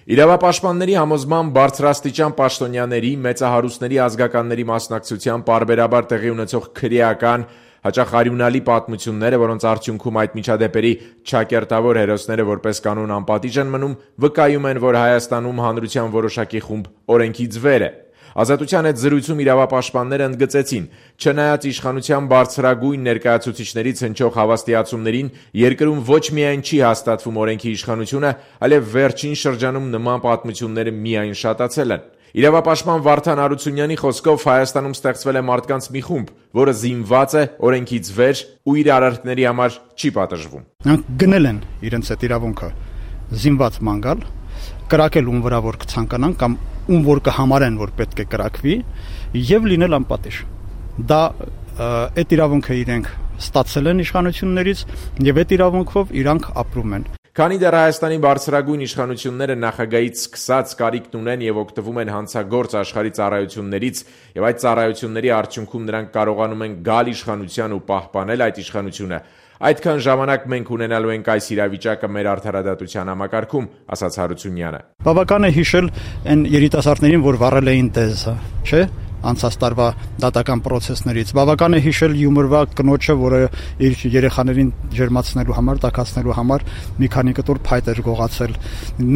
Իրավապաշտպանների համոզմամբ բարձրաստիճան պաշտոնյաների, մեծահարուստների ազգականների մասնակցությամբ պարբերաբար տեղի ունեցող քրեական, հաճախ արյունալի պատմությունները, որոնց արդյունքում այդ միջադեպերի չակերտավոր հերոսները որպես կանոն անպատիժ են մնում, վկայում են, որ Հայաստանում հանրության որոշակի խումբ օրենքից վեր է։ Ազատության հետ զրույցում իրավապաշտպանները ընդգծեցին, չնայած իշխանության բարձրագույն ներկայացուցիչներից հնչող հավաստիացումներին, երկրում ոչ միայն չի հաստատվում օրենքի իշխանությունը, այլև վերջին շրջանում նման պատմությունները միայն շատացել են։ Իրավապաշտպան Վարդան Հարությունյանի խոսքով Հայաստանում ստեղծվել է մարդկանց մի խումբ, որը զինված է, օրենքից վեր ու իր արարքների համար չի պատժվում։ Նրանք գնել են իրենց այդ իրավունքը զինված ման գալ, կրակել ում վրա որ կցանկանան կամ ում որ կհամարեն, որ պետք է կրակվի եւ լինել անպատիժ։ Դա այդ իրավունքը իրենք ստացել են իշխանություններից եւ այդ իրավունքով իրանք ապրում են։ Քանի դեռ Հայաստանի բարձրագույն իշխանությունները նախագահից սկսած կարիքն ունեն եւ օգտվում են հանցագործ աշխարհի ծառայություններից եւ այդ ծառայությունների արդյունքում նրանք կարողանում են գալ իշխանության ու պահպանել այդ իշխանությունը, այդքան ժամանակ մենք ունենալու ենք այս իրավիճակը մեր արդարադատության համակարգում, ասաց Հարությունյանը։ Բավական է հիշել այն երիտասարդներին, որ վառել էին դեզը, չէ՞, անցած տարվա դատական պրոցեսներից։ Բավական է հիշել յումորվա կնոջը, որը իր երեխաներին ջերմացնելու համար, տաքացնելու համար մի քանի կտոր փայտ էր գողացել։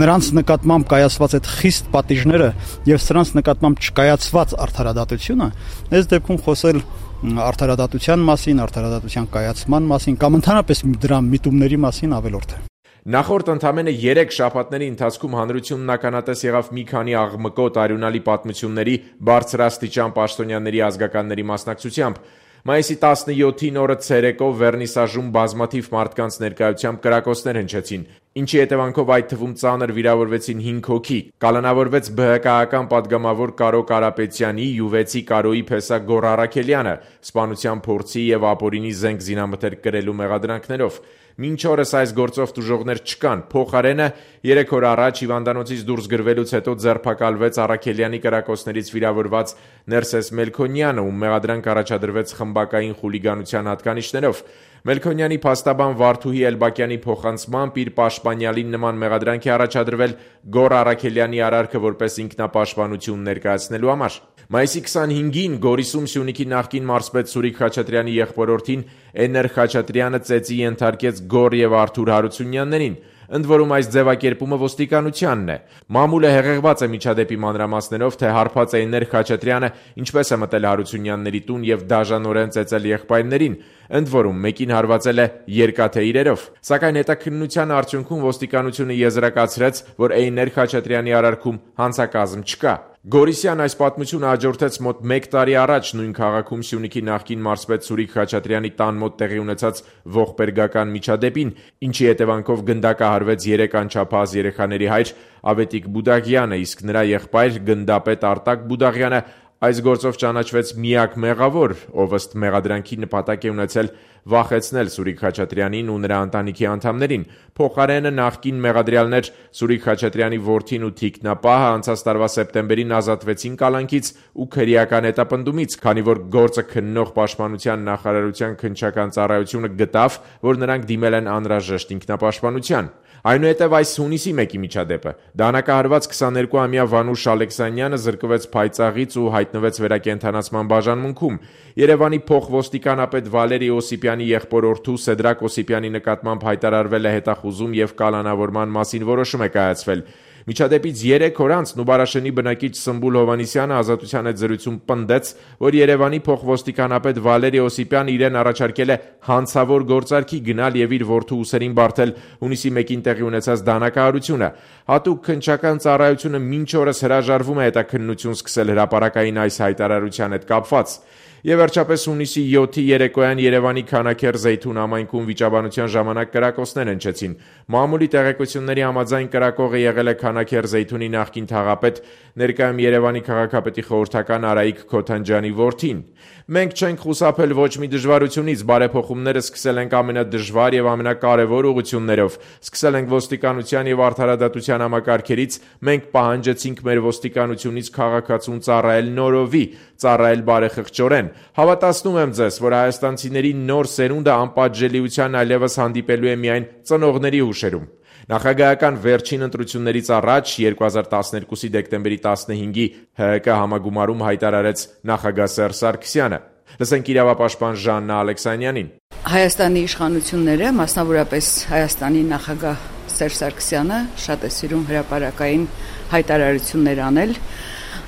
Նրանց նկատմամբ կայացված այդ խիստ պատիժները եւ սրանց նկատմամբ չկայացված արդարադատությունը, այս դեպքում խոսել արդարադատության մասին, արդարադատության կայացման մասին կամ ընդհանրապես դրա միտումների մասին ավելորդ է։ Նախորդ ընդամենը 3 շաբաթների ընթացքում հանրությունն ականատես եղավ մի քանի աղմկոտ արյունալի պատմությունների բարձրաստիճան պաշտոնյաների ազգականների մասնակցությամբ։ Մայիսի 17-ին օրը ցերեկով Վերնիսաժում բազմաթիվ մարդկանց ներկայությամբ կրակոցներ հնչեցին, ինչի հետևանքով այդ թվում ծանր վիրավորվեցին 5 հոգի։ Կալանավորվեց ԲՀԿ-ական պատգամավոր Կարո Կարապետյանի, յուվեցի Կարոյի փեսա Գոռ Առաքելյանը, սպանության փորձի եւ ապօրինի զենք զինամթերք կրելու մեղադրանքներով։ Մինչ օրս այս գործով տուժողներ չկան։ Փոխարենը 3 օր առաջ հիվանդանոցից դուրս գրվելուց հետո ձերբակալվեց Առաքելյանի կրակոցներից վիրավորված Ներսես Մելքոնյանը, ում մեղադրանք առաջադրվեց խմբակային խուլիգանության հատկանիշներով։ Մելքոնյանի փաստաբան Վարդուհի Էլբակյանի փոխանցմամբ իր պաշտպանյալին նման մեղադրանք է առաջադրվել Գոռ Առաքելյանի արարքը որպես ինքնապաշտպանություն ներկայացնելու համար։ Մայիսի 25-ին Գորիսում Սյունիքի նախկին մարզպետ Սուրիկ Խաչատրյանի եղբորորդին Էներ Խաչատրյանը ծեծի ենթարկեց Գոռ եւ Արթուր Հարությունյաններին։ Ընդ որում այս ձևակերպումը ոստիկանությանն է։ Մամուլը հեղեղված է միջադեպի մանրամասներով, թե հարբած է Էներ Խաչատրյանը ինչպես է մտել Հարությունյանների տուն եւ դաժանորեն ծեծել եղբայրներին, ընդ որում մեկին հարվածել է երկաթե իրերով։ Սակայն հետաքննության արդյունքում ոստիկանությունը եզրակացրեց, որ Էներ Խաչատրյանի արարքում հանցակազմ չկա։ Գորիսյան այս պատմությունը հաջորդեց մոտ 1 տարի առաջ նույն քաղաքում Սյունիքի նախկին մարզպետ Սուրիկ Խաչատրյանի տան մոտ տեղի ունեցած ողբերգական միջադեպին, ինչի հետևանքով գնդակահարվեց 3 անչափահաս երեխաների հայր Ավետիք Բուդաղյանը, իսկ նրա եղբայր գնդապետ Արտակ Բուդաղյանը այս գործով ճանաչվեց միակ մեղավոր, ով ըստ մեղադրանքի նպատակ է ունեցել վախեցնել Սուրիկ Խաչատրյանին ու նրա ընտանիքի անդամներին։ Փոխարենը նախկին մեղադրյալներ Սուրիկ Խաչատրյանի որդին ու թիկնապահը անցած տարվա սեպտեմբերին ազատվեցին կալանքից ու քրեական հետապնդումից, քանի որ գործը քննող պաշտպանության նախարարության քննչական ծառայությունը գտավ, որ նրանք դիմել են անհրաժեշտ ինքնապաշտպանության։ Այնուհետև այս հունիսի 1-ի միջադեպը դանակահարված 22-ամյա Վանուշ Ալեքսանյանը զրկվեց փայծաղից ու հայտնվեց վերակենդանացման բաժանմունքում։ Երևանի փոխոստիկանապետ Վալերի Օսիպյանի եղբորորդու Սեդրակ Օսիպյանի նկատմամբ հայտարարվել է հետախուզում եւ կալանավորման մասին որոշում է կայացվել։ Միջադեպից 3 օր անց Նուբարաշենի բնակիչ Սմբուլ Հովանիսյանը ազատության հետ զրույցում պնդեց, որ Երևանի փոխոստիկանապետ Վալերի Օսիպյանը իրեն առաջարկել է հանցավոր գործարքի գնալ եւ իր որդու ուսերին բարթել հունիսի 1-ին տեղի ունեցած դանակահարությունը։ Հատուկ քննչական ծառայությունը մինչ օրս հրաժարվում է հետաքննություն սկսել հրապարակային այս հայտարարության հետ կապված։ Եվ վերջապես հունիսի 7-ի երեկոյան Երևանի Քանաքեռ Զեյթուն համայնքում վիճաբանության ժամանակ կրակոցներ հնչեցին։ Մամուլի տեղեկությունների համաձայն կրակողը եղել է Քանաքեռ Զեյթունի նախկին թաղապետ, ներկայում Երևանի քաղաքապետի խորհրդական Արայիկ Քոթանջյանի որդին։ Մենք չենք խուսափել ոչ մի դժվարությունից, բարեփոխումները սկսել ենք ամենադժվար եւ ամենակարևոր ուղղություններով։ Սկսել ենք ոստիկանության եւ արդարադատության համակարգերից, մենք պահանջեցինք մեր ոստիկանությունից քաղաքացուն ծառայել նորովի, ծառայել բարեխղճորեն։ Հավատացնում եմ ձեզ, որ հայաստանցիների նոր սերունդը անպատժելիության այլևս հանդիպելու է միայն ծնողների հուշերում։ Նախագահական վերջին ընտրություններից առաջ 2012-ի դեկտեմբերի 15-ի ՀՀԿ համագումարում հայտարարեց նախագահ Սերժ Սարգսյանը։ Լսենք իրավապաշտպան Ժաննա Ալեքսանյանին։ Հայաստանի իշխանությունները, մասնավորապես Հայաստանի նախագահ Սերժ Սարգսյանը շատ է սիրում հրապարակային հայտարարություններ անել,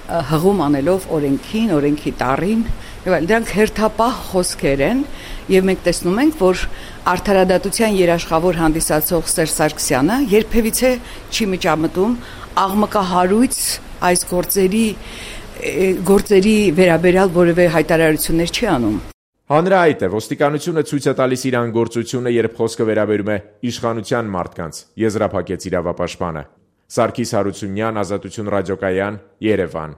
հղում անելով օրենքին, օրենքի տառին, եւ այլ, դրանք հերթապահ խոսքեր են, եւ մենք տեսնում ենք, որ արդարադատության երաշխավոր հանդիսացող Սերժ Սարգսյանը երբևիցե չի միջամտում աղմկահարույց այս գործերի վերաբերյալ որևէ հայտարարություններ չի անում։ Հանրահայտ է, ոստիկանությունը ցույց է տալիս իր անգործությունը, երբ խոսքը վերաբերում է իշխանության մարդկանց, եզրափակեց իրավապաշտպանը։ Սարգիս Հարությունյան, Ազատություն ռադիոկայան, Երևան։